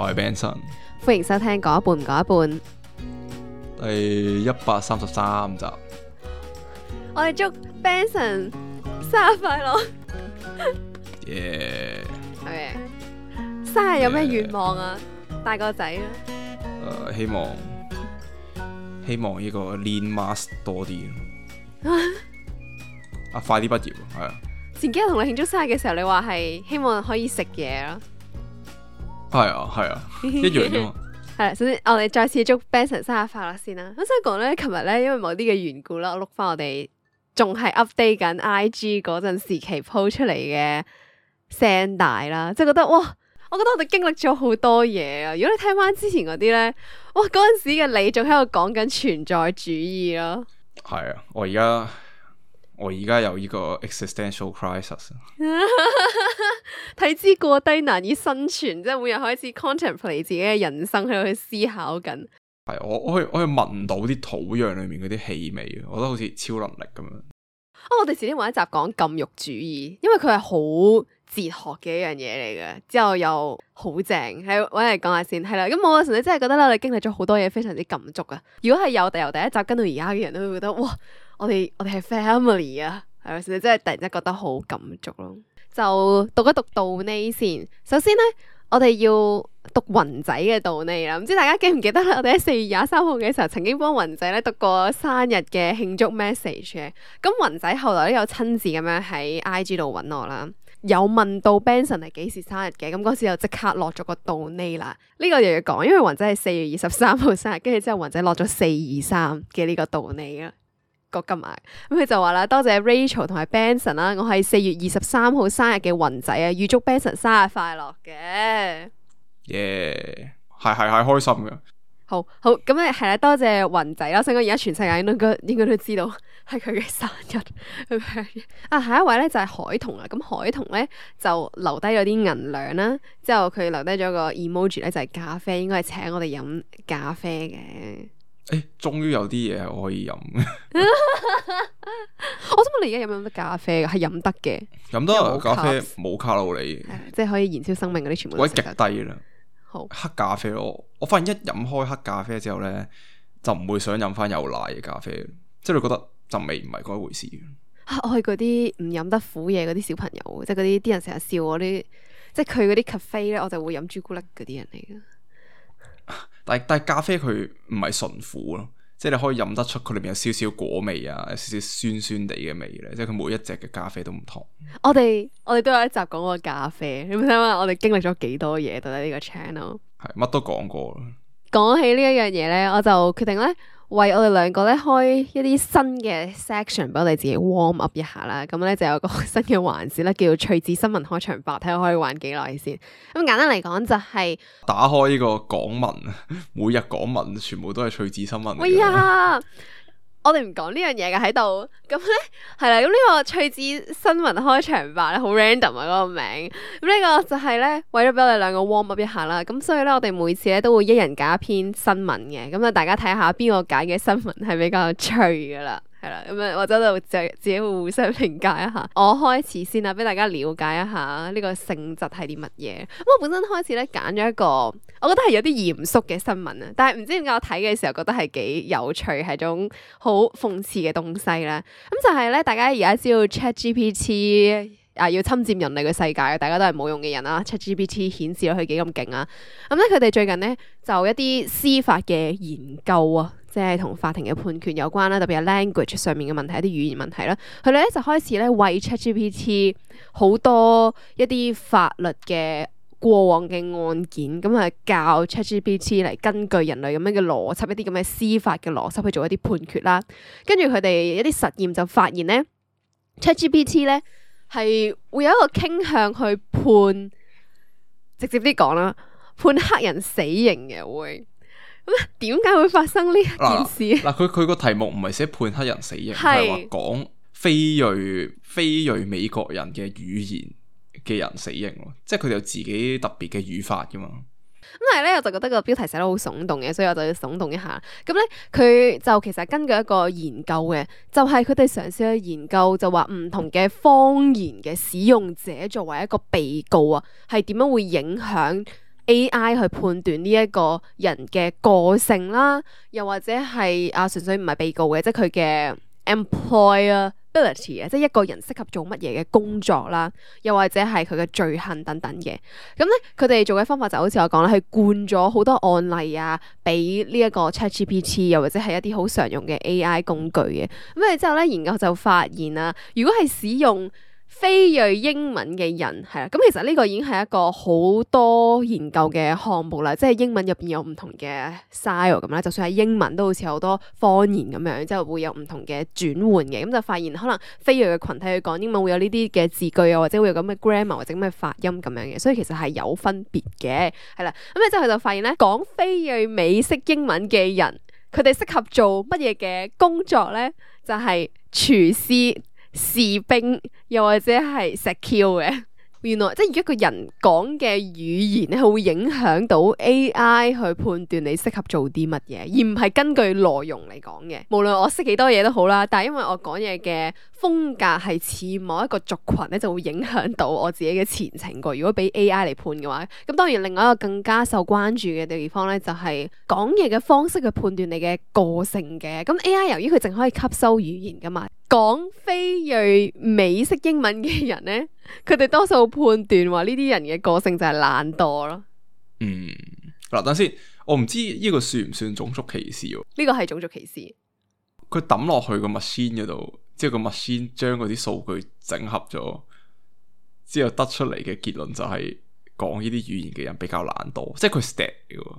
我係 Benson，歡迎收聽講一半唔講一半。第133集。我哋祝 Benson 生日快樂。耶！係咪？生日有咩願望啊？大個仔啊！希望呢個 lean mass 多啲。快啲畢業係啊！前幾日同你慶祝生日嘅時候，你話係希望可以食嘢咯。係啊，一樣啫嘛。係，首先我哋再次祝 Benson 生日快樂先啦。我想講咧，琴日咧因為某啲嘅緣故啦，我碌翻我哋仲係 update 緊 IG 嗰陣時期 po 出嚟嘅聲帶啦，即係覺得哇！我覺得我哋經歷咗好多嘢啊！如果你聽翻之前嗰啲咧，哇！嗰陣時嘅你仲喺度講緊存在主義咯。係啊，我而家有呢個 existential crisis。體脂過低難以生存，即係每日開始 contemplate 自己嘅人生喺度去思考緊。係我可以聞到啲土壤裏面嗰啲氣味，我覺得好似超能力咁樣。我哋遲啲揾一集講禁欲主義，因為佢係好哲學嘅一樣嘢嚟嘅，之後又好正，係揾嚟講下先。係啦，咁我純粹真係覺得咧，我哋經歷咗好多嘢，非常之感觸啊！如果係由第一集跟到而家嘅人都會覺得，哇！我哋係 family 啊，係咪先？真係突然之間覺得好感觸咯。就讀一讀道呢先。首先咧，我哋要讀雲仔嘅道呢啦。唔知大家記唔記得咧？我哋喺4月23號嘅時候，曾經幫雲仔咧讀過生日嘅慶祝 message 嘅。咁雲仔後來都有親自咁樣喺 IG 度揾我啦，有問到 Benson 係幾時生日嘅。咁嗰時就即刻落咗個道呢啦。呢個又要講，因為雲仔係4月23號生日，跟住之後雲仔落咗423嘅呢個道呢啦。個金額咁佢就話啦，多謝 Rachel 同埋 Benson 啦，我係4月23號生日嘅雲仔啊，預祝 Benson 生日快樂嘅。耶，係開心嘅。好咁咧係啦，多謝雲仔啦，所以我而家全世界應該都知道係佢嘅生日。下一位咧就係海彤啦，咁海彤咧就留低咗啲銀兩啦，之後佢留低咗個 emoji 咧就係咖啡，應該係請我哋飲咖啡嘅。終於有啲嘢係我可以飲。我想問你而家飲唔飲得咖啡㗎？係飲得嘅，飲得咖啡冇卡路里，即係可以燃燒生命嗰啲全部都我極低啦。好黑咖啡我發現一飲開黑咖啡之後咧，就唔會想飲翻有奶嘅咖啡，即係你覺得陣味唔係嗰一回事。我係嗰啲唔飲得苦嘢嗰啲小朋友，即係嗰啲人成日笑我啲，即係佢嗰啲 cafe 咧，我就會飲朱古力嗰啲人嚟嘅。但係咖啡佢唔係純苦咯，即係你可以飲得出佢裏面有少少果味啊，有少少酸酸地嘅味咧，即係佢每一隻嘅咖啡都唔同。我哋都有一集講過咖啡，你有冇睇下我哋經歷咗幾多嘢到底呢個 channel？ 係乜都講過啦。講起呢一樣嘢咧，我就決定咧為我哋兩個咧開一啲新嘅 section 俾我哋自己 warm up 一下啦。咁咧就有個新嘅環節咧，叫做趣致新聞開場白，睇下可以玩幾耐先。咁簡單嚟講就係打開呢個港聞，每日港聞全部都係趣致新聞嚟嘅。喂呀！我哋唔講呢樣嘢嘅喺度，咁咧係啦，咁呢個趣致新聞開場白咧好 random 啊嗰個名，咁呢個就係咧為咗俾我哋兩個 warm up 一下啦，咁所以咧我哋每次咧都會一人揀一篇新聞嘅，咁啊大家睇下邊個揀嘅新聞係比較趣噶啦，係啦，咁啊或者就自己會互相評價一下。我開始先啦，俾大家了解一下呢個性質係啲乜嘢。咁我本身開始咧揀咗一個，我覺得係有啲嚴肅嘅新聞啊，但係唔知點解我睇嘅時候覺得係幾有趣，係種好諷刺嘅東西啦。咁就係咧，大家而家知道 ChatGPT 要侵佔人類嘅世界，大家都係冇用嘅人啦。ChatGPT 顯示咗佢幾咁勁啊！咁咧佢哋最近咧就一啲司法嘅研究啊，即係同法庭嘅判決有關啦，特別係 language 上面嘅問題，一啲語言問題啦。佢哋咧就開始咧為 ChatGPT 好多一啲法律嘅過往嘅案件，咁啊教 ChatGPT 嚟根據人類咁樣嘅邏輯，一啲咁嘅司法嘅邏輯去做一啲判決啦。跟住佢哋一啲實驗就發現咧 ChatGPT 咧係會有一個傾向去判，直接啲講啦，判黑人死刑嘅會。咁點解會發生呢一件事？佢個題目唔係寫判黑人死刑，係話講非裔美國人嘅語言嘅人死刑咯，即係佢哋有自己特別嘅語法噶嘛。咁但係咧，我就覺得個標題寫得好聳動嘅，所以我就要聳動一下。咁咧，佢就其實根據一個研究嘅，就係佢哋嘗試去研究，就話唔同嘅方言嘅使用者作為一個被告啊，係點樣會影響 AI 去判斷呢一個人嘅個性啦，又或者係純粹唔係被告嘅，即係佢嘅 employability 啊，即係一個人適合做乜嘢嘅工作啦，又或者係佢嘅罪行等等嘅。咁咧，佢哋做嘅方法就好似我講啦，係灌咗好多案例啊，俾呢一個 ChatGPT， 又或者係一啲好常用嘅 AI 工具嘅。咁之後咧，研究就發現啊，如果係使用非裔英文嘅人係啦，咁其實呢個已經係一個好多研究嘅項目啦，即係英文入邊有唔同嘅 style 咁啦，就算係英文都好似好多方言咁樣，之後會有唔同嘅轉換嘅，咁就發現可能非裔嘅群體去講英文會有呢啲嘅字句啊，或者會有咁嘅 grammar 或者咁嘅發音咁樣嘅，所以其實係有分別嘅，係啦，咁之後佢就發現咧，講非裔美式英文嘅人，佢哋適合做乜嘢嘅工作咧？就係廚師、士兵又或者係 secure 嘅，原來即係如果一個人講嘅語言咧，係會影響到 AI 去判斷你適合做啲乜嘢，而唔係根據內容嚟講嘅。無論我識幾多嘢都好啦，但係因為我講嘢嘅風格係似某一個族群咧，就會影響到我自己嘅前程個。如果俾 AI 嚟判嘅話，咁當然另外一個更加受關注嘅地方咧，就係講嘢嘅方式去判斷你嘅個性嘅。咁 AI 由於佢淨可以吸收語言噶嘛，講非裔美式英文嘅人咧，佢哋多數判斷話呢啲人嘅個性就係懶惰咯。嗱，等先，我唔知呢個算唔算種族歧視喎？呢個係種族歧視。佢抌落去個 machine 嗰度，之後個 machine 將嗰啲數據整合咗，之後得出嚟嘅結論就係講呢啲語言嘅人比較懶惰，即係佢 stat 嚟嘅，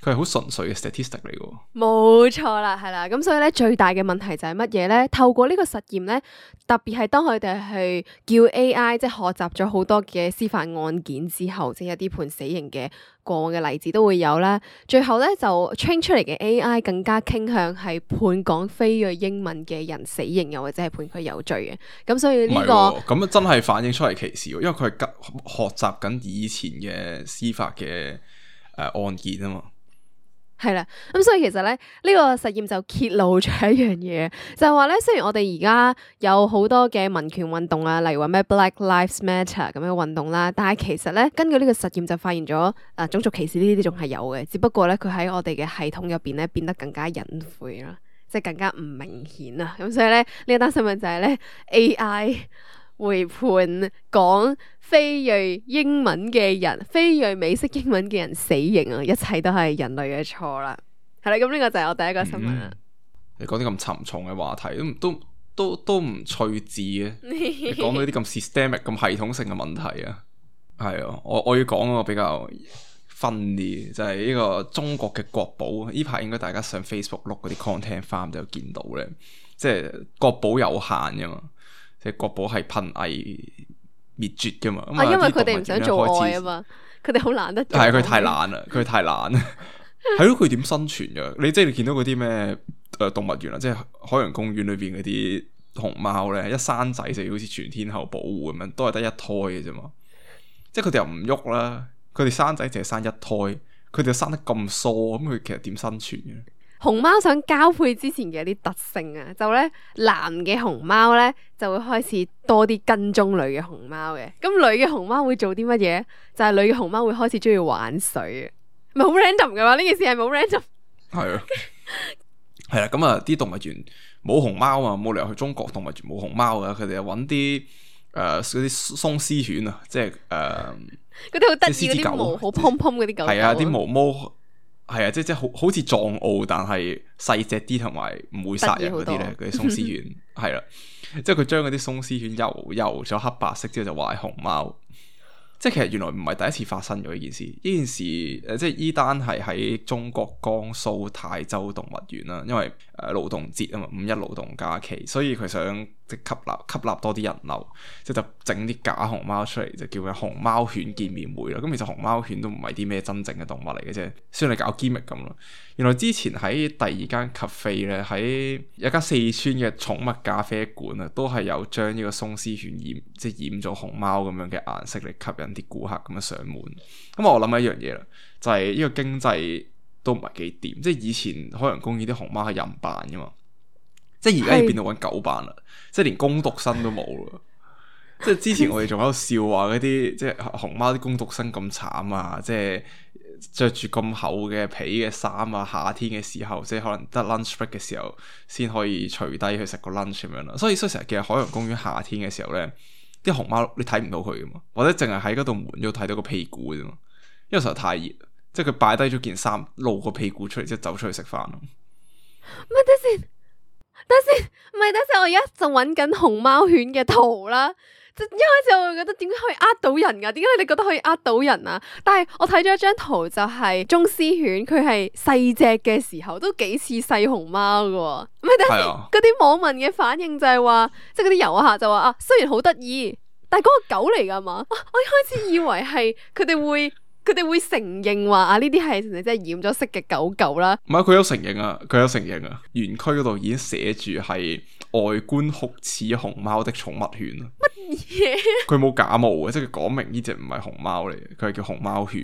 佢係好純粹嘅 statistic 嚟嘅。冇錯啦，係啦，咁所以咧最大嘅問題就係乜嘢咧？透過呢個實驗咧，特別係當佢哋去叫 AI 即係學習咗好多嘅司法案件之後，即係一啲判死刑嘅過往嘅例子都會有啦。最後咧就 train 出嚟嘅 AI 更加傾向係判講非裔英文嘅人死刑，又或者係判佢有罪嘅。咁所以呢個咁真係反映出嚟歧視，因為佢係學習緊以前嘅司法嘅案件啊嘛。係啦，咁所以其實咧呢個實驗就揭露咗一樣嘢，就係話咧，雖然我哋而家有好多嘅民權運動啊，例如話咩 Black Lives Matter 咁樣嘅運動啦，但係其實咧根據呢個實驗就發現咗種族歧視呢啲仲係有嘅，只不過咧佢喺我哋嘅系統入邊咧變得更加隱晦啦，即係更加唔明顯啊，咁所以咧呢一單新聞就係咧 AI 會判講非裔英文嘅人、非裔美式英文嘅人死刑啊！一切都係人類嘅錯啦。係啦，咁呢個就係我第一個新聞啦。你講啲咁沉重嘅話題，都唔趣致嘅。你講到啲咁 systemic、咁系統性嘅問題啊，係啊，我要講個比較分啲，就係呢個中國嘅國寶。呢排應該大家上 Facebook 碌嗰啲 content farm 就見到咧，即係國寶有限噶嘛。即係國寶係瀕危滅絕噶嘛，因為佢哋唔想做愛啊嘛，佢哋好懶得做。係佢太懶啦，佢太懶。係咯，佢點生存噶？你見到嗰啲咩動物園啊，即係海洋公園裏邊嗰啲熊貓咧，一生仔就要好似全天候保護咁樣，都係得一胎嘅啫嘛。即係佢哋又唔喐啦，佢哋生仔淨係生一胎，佢哋又生得咁疏，咁佢其實點生存嘅？熊貓想交配之前嘅一啲特性啊，就咧男嘅熊貓咧就會開始多啲跟蹤女嘅熊貓嘅，咁女嘅熊貓會做啲乜嘢？就係女嘅熊貓會開始中意玩水，唔係好 random 嘅嘛？呢件事係冇 random。係啊，係啦，咁啊啲動物園冇熊貓啊，冇理由去中國動物園冇熊貓啊，佢哋又揾啲嗰啲鬆獅犬啊，即係嗰啲好得意嗰啲毛好蓬蓬嗰啲狗，係啊，啲毛毛。係啊，即係好似藏獒，但係細隻啲，同埋唔會殺人嗰啲咧，嗰啲鬆獅犬係啦，即係佢將嗰啲鬆獅犬油咗黑白色之後就話係熊貓，即係其實原來唔係第一次發生咗呢件事，呢件事即係依單係喺中國江蘇泰州動物園啦，因為勞動節啊嘛，五一勞動假期，所以佢想即係吸納多啲人流，即係就整啲假熊貓出嚟，就叫佢熊貓犬見面會啦。咁其實熊貓犬都唔係啲咩真正嘅動物嚟嘅啫，雖然你搞 gimmick 咁咯。原來之前喺第二間 cafe 咧，喺一間四川嘅寵物咖啡館啊，都係有將呢個鬆獅犬即係染咗熊貓咁樣嘅顏色嚟吸引啲顧客咁樣上門。咁我諗一樣嘢啦，就係呢個經濟都唔係幾掂，即係以前海洋公園啲熊貓係人扮噶嘛，即係而家要變到揾狗扮啦，即係連工讀生都冇啦。即係之前我哋仲喺度笑話嗰啲即係熊貓啲工讀生咁慘啊，即係着住咁厚嘅皮嘅衫啊，夏天嘅時候即係可能得 lunch break 嘅時候先可以除低去食個 lunch 咁樣啦。所以成日見海洋公園夏天嘅時候咧，啲熊貓你睇唔到佢噶嘛，或者淨係喺嗰度門度睇到個屁股啫嘛，因為實在太熱，即係佢擺低咗件衫露個屁股出嚟，即係走出去食飯咯。咪等先，我而家就揾緊熊貓犬嘅圖啦。一開始我會覺得點解可以呃到人噶？點解你覺得可以呃到人啊？但係我睇咗一張圖，就係中斯犬，佢係細隻嘅時候都幾似細熊貓噶。咪等先，嗰啲網民嘅反應就係話，即係嗰啲遊客就話啊，雖然好得意，但係嗰個狗嚟噶嘛？我一開始以為係佢哋會承認話啊，呢啲係即係染咗色嘅狗啦。唔係，佢有承認啊，園區嗰度已經寫住係外觀酷似熊貓的寵物犬啊。乜嘢？佢冇假冒嘅，即係佢講明呢隻唔係熊貓嚟嘅，佢係叫熊貓犬。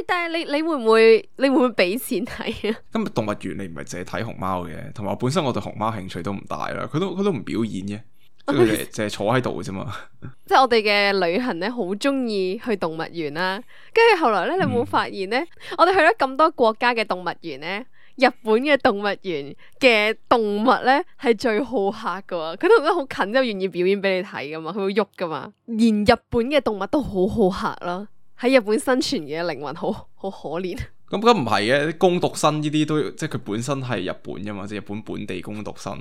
但係你會唔會俾錢睇啊？今日動物園你唔係淨係睇熊貓嘅，同埋本身我對熊貓興趣都唔大啦，佢都唔表演嘅。即係佢哋淨係坐喺度嘅啫嘛。即係我哋嘅旅行咧，好中意去動物園啦。跟住後來咧，你有冇發現咧？我哋去咗咁多國家嘅動物園咧，日本嘅動物園嘅動物咧係最好客噶。佢都好近，就願意表演俾你睇噶嘛，佢會喐噶嘛。連日本嘅動物都好好客啦。喺日本生存嘅靈魂好可憐。咁唔係嘅，工讀生呢啲都即係佢本身係日本噶嘛，即係日本本地工讀生，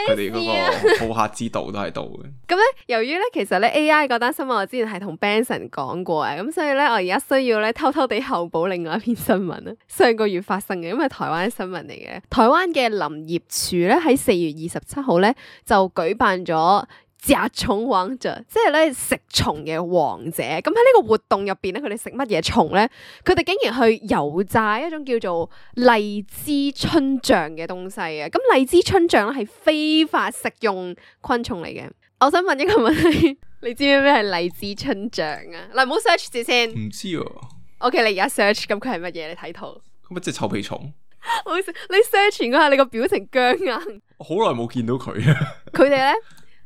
佢哋嗰個好客之道都喺度嘅。咁咧，由於咧其實咧 AI 嗰單新聞我之前係同 Benson 講過嘅，咁所以咧我而家需要咧偷偷地後補另外一篇新聞啦。上個月發生嘅，因為台灣新聞嚟嘅。台灣嘅林業署咧喺4月27號咧就舉辦咗甲蟲王者，即係咧食蟲嘅王者。咁喺呢個活動入邊咧，佢哋食乜嘢蟲咧？佢哋竟然去油炸一種叫做荔枝春象嘅東西啊！咁荔枝春象咧係非法食用昆蟲嚟嘅。我想問一個問題，你知唔知咩係荔枝春象啊？嗱，唔好 search 住先。唔知啊。OK， 你而家 search， 咁佢係乜嘢？你睇圖。咁咪即係臭屁蟲？好笑，你 search 嗰下，你個表情僵硬。我好耐冇見到佢啊！佢哋咧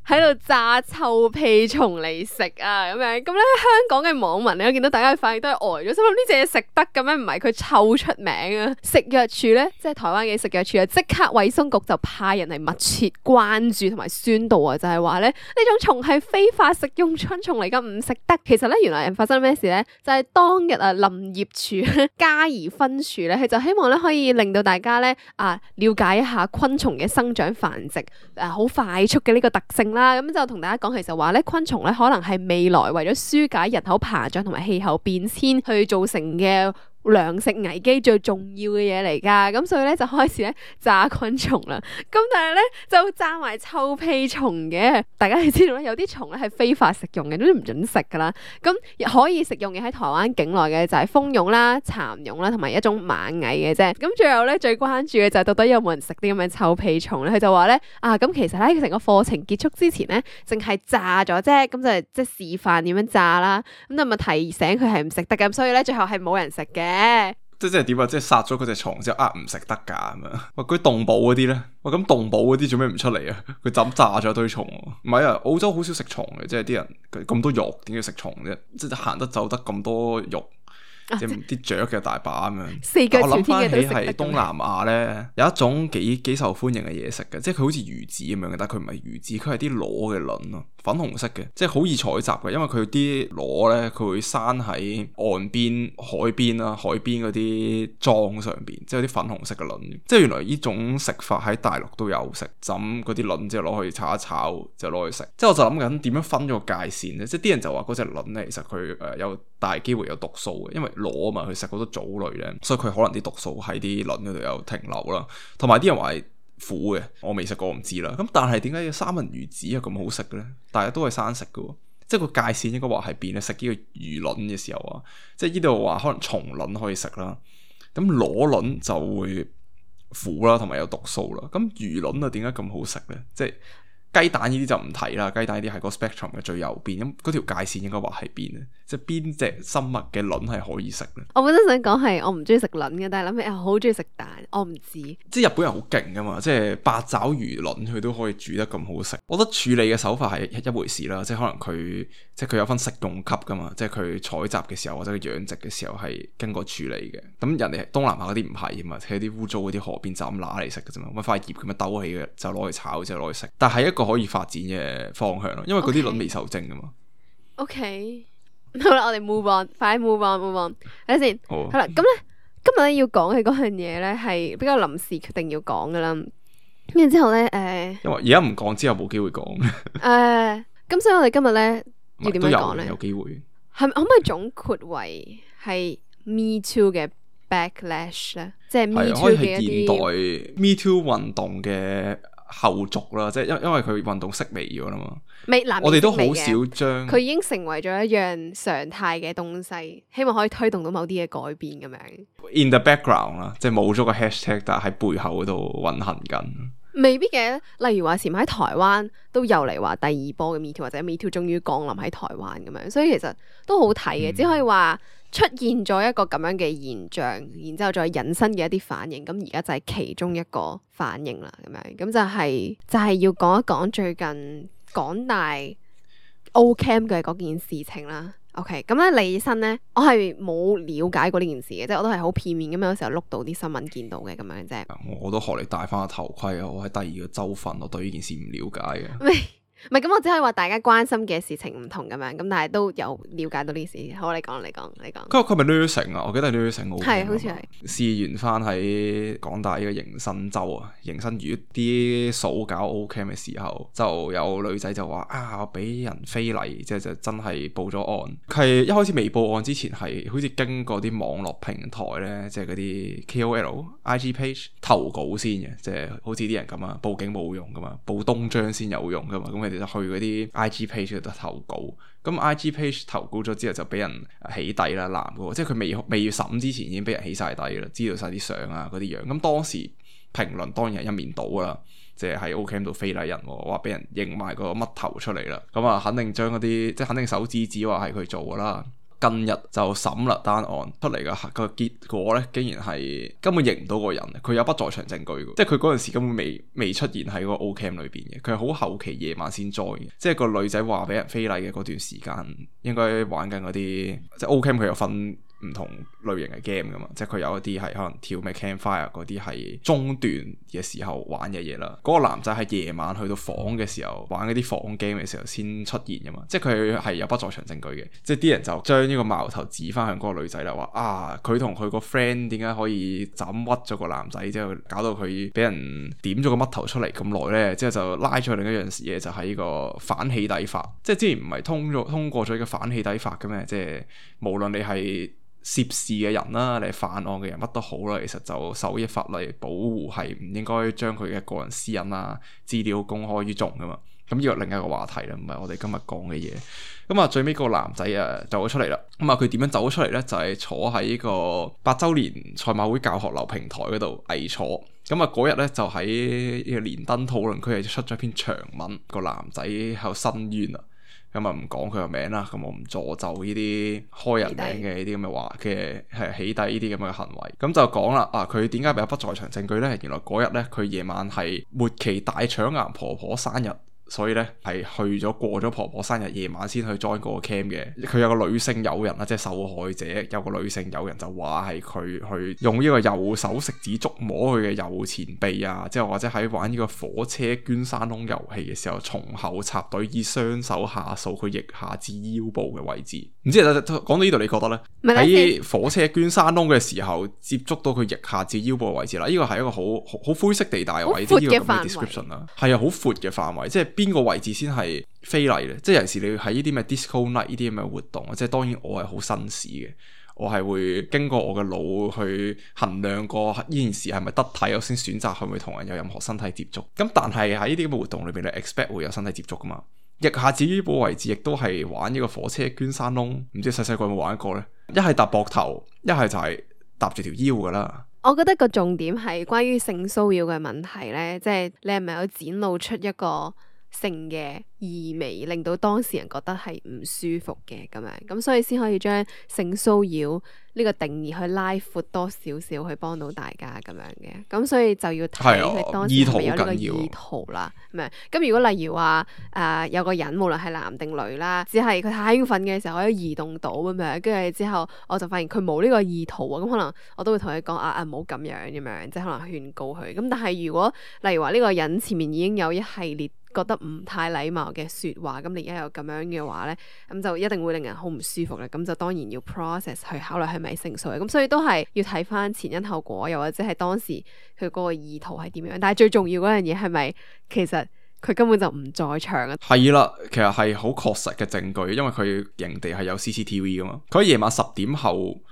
喺度炸臭屁蟲嚟食啊，咁樣咁咧，香港嘅網民咧，我見到大家嘅反應都係呆咗，心諗呢隻嘢食得嘅咩？唔係佢臭出名啊！食藥署咧，即係台灣嘅食藥署啊，即刻衛生局就派人嚟密切關注同埋宣導啊，就係話咧呢種蟲係非法食用春蟲嚟噶，唔食得。其實咧，原來發生咩事咧？就係當日啊，林業署嘉義分署咧，佢就希望咧可以令到大家咧了解一下昆蟲嘅生長繁殖好快速嘅呢個特性啦。咁就同大家講，其實話咧昆蟲咧可能係未來為咗紓解人口膨脹同埋氣候變遷去造成嘅糧食危機最重要嘅嘢嚟噶，咁所以咧就開始咧炸昆蟲啦。咁但係咧就炸埋臭屁蟲嘅。大家係知道咧，有啲蟲咧係非法食用嘅，都唔准食噶啦。咁可以食用嘅喺台灣境內嘅就係蜂蛹啦、蠶蛹啦，同埋一種螞蟻嘅啫。咁最後咧最關注嘅就係到底有冇人食啲咁嘅臭屁蟲咧？佢就話咧咁其實咧成個課程結束之前咧，淨係炸咗啫，咁就即係示範點樣炸啦。咁就咪提醒佢係唔食得嘅，咁所以咧最後係冇人食嘅。即係點啊？即係殺咗嗰隻蟲之後唔食得噶咁樣。喂，嗰啲動保嗰啲咧，喂咁動保嗰啲做咩唔出嚟啊？佢就咁炸咗一堆蟲。唔係啊，澳洲好少食蟲嘅，即係啲人咁多肉，點解食蟲啫？即係行得走得咁多肉。即係啲雀嘅大把咁樣，我諗翻起係東南亞咧有一種幾受歡迎嘅嘢食嘅，即係佢好似魚子咁樣嘅，但係佢唔係魚子，佢係啲螺嘅卵咯，粉紅色嘅，即係好易採集嘅，因為佢啲螺咧佢會生喺岸邊、海邊啦、海邊嗰啲樁上邊，即係有啲粉紅色嘅卵。即係原來呢種食法喺大陸都有食，浸嗰啲卵之後攞去炒一炒就攞去食。即係我就諗緊點樣分咗個界線咧？即係啲人就話嗰隻卵咧，其實佢有大機會有毒素嘅，因為螺啊嘛，佢食好多藻類咧，所以佢可能啲毒素喺啲卵嗰度有停留啦。同埋啲人話係苦嘅，我未食過，我唔知啦。咁但係點解三文魚子係咁好食嘅咧？大家都係生食嘅，即係個界線應該話係變咧。食呢個魚卵嘅時候啊，即係呢度話可能蟲卵可以食啦，咁螺卵就會苦啦，同埋有毒素啦。咁魚卵啊，點解咁好食咧？即係雞蛋呢啲就唔睇啦，雞蛋呢啲係個 spectrum 嘅最右邊，咁嗰條界線應該話喺邊咧？即係邊隻生物嘅卵係可以食咧？我本身想講係我唔中意食卵嘅，但係諗起我好中意食蛋，我唔知。即係日本人好勁噶嘛，即係八爪魚卵佢都可以煮得咁好食。我覺得處理嘅手法係一回事啦，即係可能佢有分食用級噶嘛，即係佢採集嘅時候或者佢養殖嘅時候係經過處理嘅。咁人哋東南亞嗰啲唔係啊嘛，喺啲污糟嗰啲河邊就咁揦嚟食嘅啫嘛，咁塊葉咁樣兜起嘅就攞去炒之後攞去食。但係一個可以發展嘅方向咯，因為嗰啲卵未受精噶嘛。OK， 好啦，我哋 move on， 快啲 move on， 睇下先。好啦，咁咧今日咧要講嘅嗰樣嘢咧係比較臨時決定要講噶啦。跟住之後咧，因為而家唔講之後冇機會講。咁所以我哋今日咧要點樣講咧？有機會係咪可唔可以總括為係 Me Too 嘅 backlash 咧？即係 Me Too 嘅一啲現代 Me Too 運動嘅後續啦，即係因為佢運動式微咗啦嘛。我哋都好少將佢已經成為咗一樣常態嘅東西，希望可以推動到某啲嘅改變咁樣。In the background 啦，即係冇咗個 hashtag， 但係喺背後嗰度運行緊。未必嘅，例如話前排喺台灣都又嚟話第二波嘅 Me Too 或者 Me Too 終於降臨喺台灣咁樣，所以其實都好睇嘅，只可以話出現咗一個咁樣嘅現象，然之後再引申嘅一啲反應，咁而家就係其中一個反應啦，咁樣咁就係要講一講最近港大 Ocamp 嘅嗰件事情啦。OK， 咁咧李生咧，我係冇了解過呢件事嘅，即係我都係好片面咁樣，有時候碌到啲新聞見到嘅咁樣啫。我都學你戴翻個頭盔啊！我喺第二個州份，我對呢件事唔了解嘅。唔係咁，我只可以話大家關心嘅事情唔同咁樣，咁但係都有了解到呢事。好，你講。佢咪 nursing 啊？我記得係 nursing 係好似係試完翻喺港大呢個迎新州啊，迎新月啲數搞 Ocamp 嘅時候，就有女仔就話我俾人非禮，即係就真係報咗案。佢係一開始未報案之前係好似經過啲網絡平台咧，即係嗰啲 KOL、IG page 投稿先嘅，即係好似啲人咁啊，報警冇用噶嘛，報東張先有用噶嘛，咁就去嗰啲 IG page 度投稿，咁 IG page 投稿咗之後就俾人起底啦，男嘅，即係佢未審之前已經俾人起晒底啦，知道晒啲相啊嗰啲樣，咁當時評論當然係一面倒啦，即係喺 Ocamp 度非禮人，話俾人認埋個乜頭出嚟啦，咁肯定將嗰啲即係肯定手指話係佢做噶啦。近日就審啦，單案出嚟嘅個結果咧，竟然係根本認唔到個人，佢有不在場證據嘅，即係佢嗰陣時根本未出現喺個 Ocamp 裏邊嘅，佢係好後期夜晚先 join 嘅，即係個女仔話俾人非禮嘅嗰段時間，應該玩緊嗰啲，即係 Ocamp 佢有分唔同類型嘅 game 噶嘛，即係佢有一啲係可能跳咩 campfire 嗰啲係中段嘅時候玩嘅嘢啦。嗰個男仔係夜晚去到房嘅時候玩嗰啲房 game 嘅時候先出現噶嘛，即係佢係有不在場證據嘅。即係啲人就將呢個矛頭指翻向嗰個女仔啦，話佢同佢個 friend 點解可以就咁屈咗個男仔，之後搞到佢俾人點咗個乜頭出嚟咁耐咧？之後就拉咗另一樣嘢，就係呢個反起底法。即係之前唔係通過咗呢個反起底法嘅咩？即係無論你係涉事嘅人啦，你係犯案嘅人乜都好啦，其實就受呢法例保護，係唔應該將佢嘅個人私隱啊資料公開於眾噶嘛。咁呢個另一個話題啦，唔係我哋今日講嘅嘢。咁最尾個男仔走咗出嚟啦。咁佢點樣走咗出嚟咧？就係坐喺呢個8週年賽馬會教學樓平台嗰度偽坐。咁嗰日咧就喺呢個連登討論區係出咗篇長文，個男仔喺度申冤啊。咁唔講佢個名啦，咁我唔助紂呢啲開人名嘅呢啲咁嘅話嘅係起底呢啲咁嘅行為。咁就講啦，佢點解有不在場證據咧？原來嗰日咧佢夜晚係末期大腸癌婆婆生日。所以咧係去咗過咗婆婆生日夜晚先去 join 嗰個 camp 嘅。佢有個女性友人啦，即係受害者有個女性友人就話係佢去用呢個右手食指觸摸佢嘅右前臂啊，之後或者喺玩呢個火車捐山窿遊戲嘅時候從後插隊以雙手下掃佢腋下至腰部嘅位置。唔知講到呢度你覺得咧？喺火車捐山窿嘅時候接觸到佢腋下至腰部嘅位置啦，呢個係一個好灰色地帶嘅位置，呢個咁嘅 description 啦，係好闊嘅範圍，即係邊個位置先係非禮咧？即係有時你喺呢啲咩 disco night 呢啲咁嘅活動，即係當然我係好紳士嘅，我係會經過我嘅腦去衡量過呢件事係咪得體，我先選擇係咪同人有任何身體接觸。咁但係喺呢啲咁嘅活動裏邊，你 expect 會有身體接觸噶嘛？腋下至腰部位置亦都係玩呢個火車捐山窿，唔知細細個有冇玩過呢？一係搭膊頭，一係就係搭住條腰噶啦。我覺得個重點係關於性騷擾嘅問題呢，即係你係咪有展露出一個性嘅意味，令到當事人覺得係唔舒服嘅咁樣，咁所以先可以將性騷擾呢個定義去拉闊多少少，去幫到大家咁樣嘅。咁所以就要睇佢當時係咪有呢個意圖啦。咁如果例如話有個人無論係男定女啦，只係佢太興奮嘅時候可以移動到咁樣，跟住之後我就發現佢冇呢個意圖啊，咁可能我都會同佢講唔好咁樣咁樣，即係可能勸告佢。咁但係如果例如話呢個人前面已經有一系列覺得唔太禮貌嘅説話，咁你而家又咁樣嘅話咧，咁就一定會令人好唔舒服啦。咁就當然要 process 去考慮係咪性騷擾，咁所以都係要睇翻前因後果，又或者係當時佢嗰個意圖係點樣。但係最重要嗰樣嘢係咪其實佢根本就唔在場啊？係啦，其實係好確實嘅證據，因為佢營地係有 CCTV 噶嘛，佢喺夜晚10點後。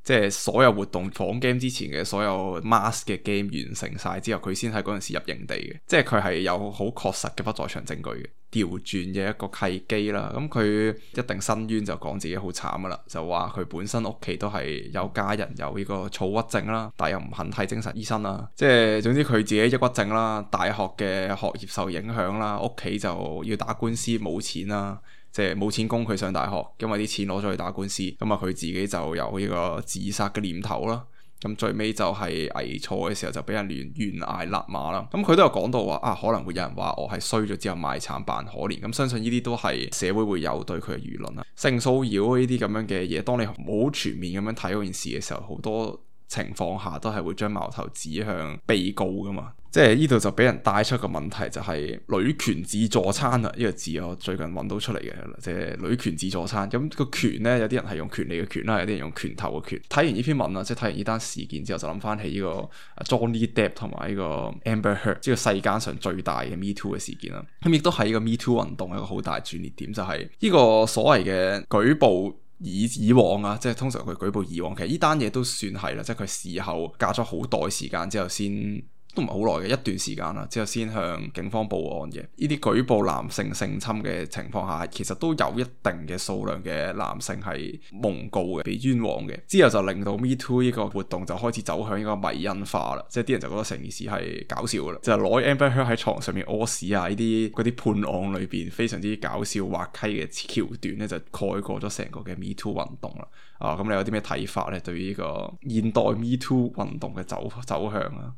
即係所有活動放 game 之前嘅所有 mask 嘅 game 完成晒之後，佢先喺嗰陣時入營地嘅，即係佢係有好確實嘅不在場證據嘅調轉嘅一個契機啦。咁佢一定申冤就講自己好慘噶啦，就話佢本身屋企都係有家人有呢個躁鬱症啦，但又唔肯睇精神醫生啦。即係總之佢自己抑鬱症啦，大學嘅學業受影響啦，屋企就要打官司冇錢啦。即係冇錢供佢上大學，因為啲錢攞咗去打官司，咁啊佢自己就有呢個自殺嘅念頭啦。咁最尾就係危錯嘅時候就俾人懸崖勒馬啦。咁佢都有講到話可能會有人話我係衰咗之後賣慘扮可憐。咁相信呢啲都係社會會有對佢嘅輿論啦。性騷擾呢啲咁樣嘅嘢，當你冇全面咁樣睇嗰件事嘅時候，好多情況下都係會將矛頭指向被告噶嘛。即係呢度就俾人帶出個問題，就係女權自助餐啦。呢個字我最近揾到出嚟嘅，即係女權自助餐。咁個權呢，有啲人係用權利嘅權啦，有啲人用拳頭嘅拳。睇完呢篇文啦，即係睇完呢單事件之後，就諗翻起呢個 Johnny Depp 同埋呢個 Amber Heard，即係世間上最大嘅 Me Too 嘅事件啦。咁亦都係呢個 Me Too 運動一個好大轉捩點，就係呢個所謂嘅舉報。以往啊，即係通常佢舉報以往，其實呢單嘢都算係啦，即係佢事後隔咗好耐時間之後先，都唔係好耐嘅一段時間啦，之後先向警方報案嘅。呢啲舉報男性性侵嘅情況下，其實都有一定嘅數量嘅男性係蒙告嘅，被冤枉嘅。之後就令到 Me Too 呢個活動就開始走向呢個迷因化啦，即係啲人就覺得成件事係搞笑噶啦，就係攞 Amber Heard 喺床上面屙屎啊，呢啲嗰啲判案裏邊非常之搞笑滑稽嘅橋段咧，就蓋過咗成個嘅 Me Too 運動啦。咁你有啲咩睇法咧？對於呢個現代 Me Too 運動嘅走向啊？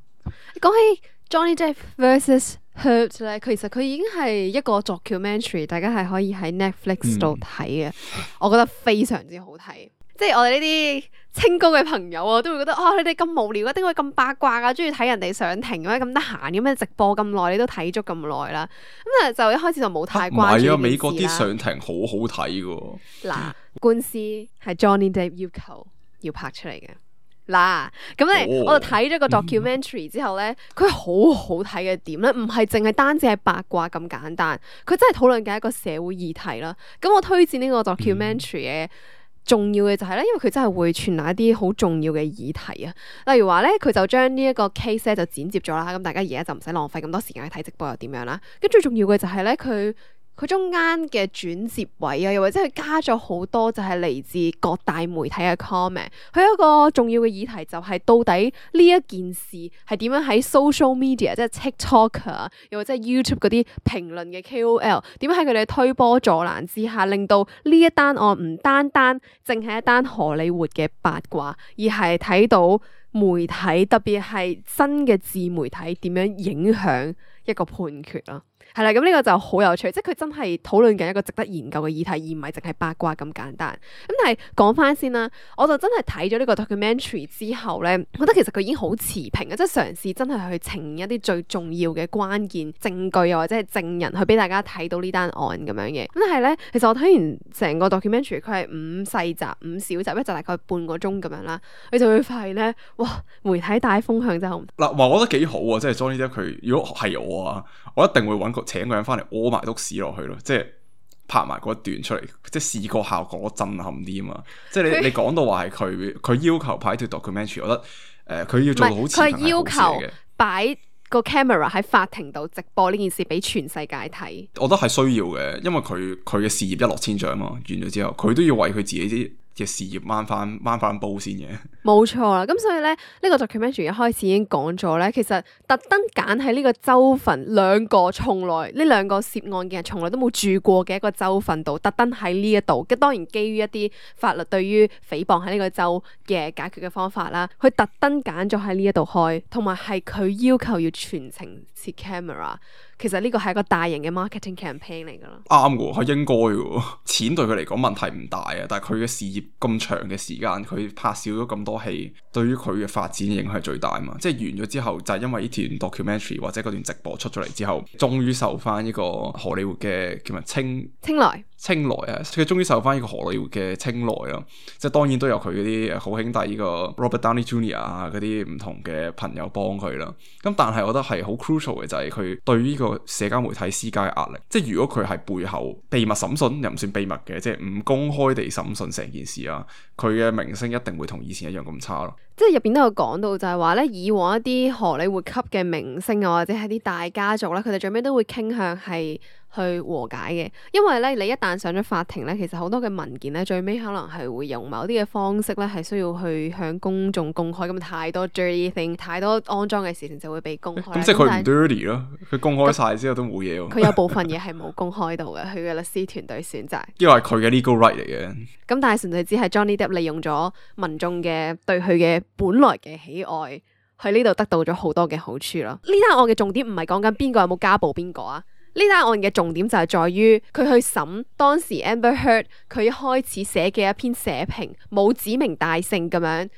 講起 Johnny Depp vs Heard 咧，其實佢已經係一個 documentary， 大家係可以喺 Netflix 度睇嘅。我覺得非常之好睇。即係我哋呢啲清高嘅朋友啊，都會覺得你哋咁無聊啊，點解咁八卦啊，中意睇人哋上庭咁得閒咁樣直播咁耐，你都睇足咁耐啦。咁就一開始就冇太關注。唔係美國啲上庭好好睇噶。嗱，官司係 Johnny Depp 要求要拍出嚟嘅。嗱，咁咧我就睇咗個 documentary 之後咧，佢好好睇嘅點咧，唔係淨係單止係八卦咁簡單，佢真係討論緊一個社會議題啦。咁我推薦呢個 documentary 嘅重要嘅就係咧，因為佢真係會傳達一啲好重要嘅議題啊。例如話咧，佢就將呢一個 case 咧就剪接咗啦，咁大家而家就唔使浪費咁多時間去睇直播又點樣啦。跟最重要嘅就係咧，佢中間嘅轉接位啊，又或者佢加咗好多就係嚟自各大媒體嘅 comment。佢有一個重要嘅議題就係到底呢一件事係點樣喺 social media， 即係 TikTok 啊，又或者係 YouTube 嗰啲評論嘅 KOL 點樣喺佢哋推波助瀾之下，令到呢一單案唔單單淨係一單荷里活嘅八卦，而係睇到媒體特別係新嘅自媒體點樣影響一個判決咯。係啦，咁呢個就好有趣，即係佢真係討論緊一個值得研究嘅議題，而唔係淨係八卦咁簡單。咁但係講翻先啦，我就真係睇咗呢個 documentary 之後咧，覺得其實佢已經好持平啊，即係嘗試真係去呈現一啲最重要嘅關鍵證據，又或者係證人去俾大家睇到呢單案咁樣嘅。咁但係咧，其實我睇完成個 documentary，佢係5細集、5小集，一集大概半個鐘咁樣啦，你就會發現咧，哇！媒體帶風向真係好嗱，話我覺得幾好啊，即係 Johnny Depp 佢如果係我啊，我一定會請個人翻嚟屙埋篤屎落去咯，即係拍埋嗰一段出嚟，即係視覺效果震撼啲啊嘛！即係你講到話係佢要求拍條 documentary， 我覺得佢要做到好持平係好事嚟嘅。佢要求擺個 camera 喺法庭度直播呢件事俾全世界睇，我覺得係需要嘅，因為佢嘅事業一落千丈嘛，完咗之後佢都要為佢自己啲嘅事業掹翻煲先嘅。冇錯啦，咁所以咧呢個 documentary 一開始已經講咗咧，其實特登揀喺呢個州份兩個涉案嘅人從來都冇住過嘅一個州份度，特登喺呢一度，當然基於一啲法律對於誹謗喺呢個州嘅解決嘅方法啦，佢特登揀咗喺呢一度開，同埋係佢要求要全程設 camera。其實呢個係一個大型嘅 marketing campaign 嚟噶啦，啱嘅，係應該嘅。錢對佢嚟講問題唔大啊，但係佢嘅事業咁長嘅時間，佢拍少咗咁多戲，對於佢嘅發展影響係最大嘛。即係完咗之後，就係因為呢段 documentary 或者嗰段直播出咗嚟之後，終於受翻呢個荷里活嘅叫咩青睞啊，佢終於受翻呢個荷里活嘅青睞啦。即係當然都有佢嗰啲好兄弟呢個 Robert Downey Jr. 啊，嗰啲唔同嘅朋友幫佢啦。咁但係我覺得係好 crucial 嘅就係佢對呢個社交媒體施加嘅壓力。即係如果佢係背後秘密審訊，又唔算秘密嘅，即係唔公開地審訊成件事啊，佢嘅名聲一定會同以前一樣咁差咯。即係入邊都有講到就係話咧，以往一啲荷里活級嘅明星啊，或者係啲大家族咧，佢哋最尾都會傾向係去和解嘅，因為咧你一旦上咗法庭咧，其實好多嘅文件咧，最尾可能係會用某啲嘅方式咧，係需要去向公眾公開，咁太多 dirty thing， 太多骯髒嘅事情就會被公開。咁即係佢唔 dirty 咯，佢公開晒之後都冇嘢喎。佢有部分嘢係冇公開到嘅，佢嘅律師團隊選擇。因為係佢嘅 legal right 嚟嘅。咁但係純粹只係 Johnny Depp 利用咗民眾嘅對佢嘅本來嘅喜愛，喺呢度得到咗好多嘅好處咯。呢單案嘅重點唔係講緊邊個有冇家暴邊個啊。呢單案嘅重點就係在於佢去審當時 Amber Heard 佢一開始寫嘅一篇社評，冇指名道姓咁樣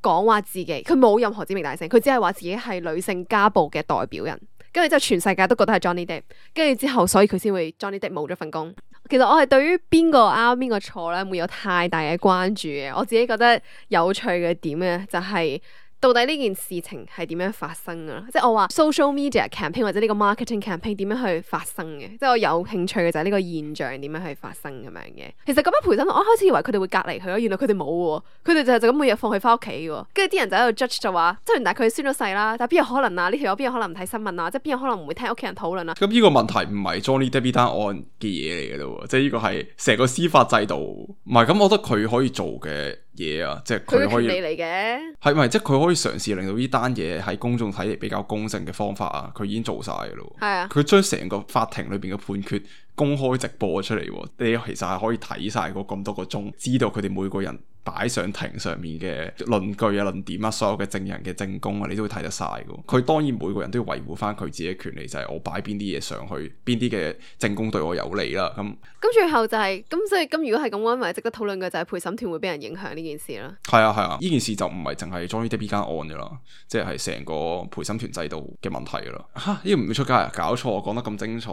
講話自己，佢冇任何指名道姓，佢只係話自己係女性家暴嘅代表人，跟住之後全世界都覺得係 Johnny Depp， 跟住之後所以佢先會 Johnny Depp 冇咗份工。其實我係對於邊個啱邊個錯咧，冇有太大嘅關注嘅。我自己覺得有趣嘅點咧，就係到底呢件事情係點樣發生啊？即係我話 social media campaign 或者呢個 marketing campaign 點樣去發生嘅？即係我有興趣嘅就係呢個現象點樣去發生咁樣嘅。其實咁樣陪審團，我一開始以為佢哋會隔離佢咯，原來佢哋冇喎，佢哋就咁每日放佢翻屋企喎。跟住啲人就喺度 judge 就話，即係但係佢宣咗誓啦，但係邊有可能啊？呢條友邊有可能唔睇新聞啊？即係邊有可能唔會聽屋企人討論啊？咁呢個問題唔係 Johnny Depp 單案嘅嘢嚟嘅咯，即係呢個係成個司法制度。唔係咁，我覺得佢可以做嘅嘢啊，即係佢可以嚟嘅，係咪即係佢可以嘗試令到呢單嘢喺公眾睇嚟比較公正嘅方法啊？佢已經做晒嘅咯。係啊，佢將成個法庭裏邊嘅判決公開直播出嚟，你其實係可以睇晒嗰咁多個鐘，知道佢哋每個人擺上庭上面嘅論據啊、論點啊、所有嘅證人嘅證供啊，你都會睇得晒嘅。佢當然每個人都要維護翻佢自己嘅權利，就係我擺邊啲嘢上去，邊啲嘅證供對我有利啦。咁最後就係咁，所以咁如果係咁，我認為值得討論嘅就係陪審團會俾人影響呢件事啦。係啊，呢件事就唔係淨係 Johnny Depp 呢間案嘅啦，即係成個陪審團制度嘅問題噶啦。吓，呢個唔會出街啊？搞錯，我講得咁精彩，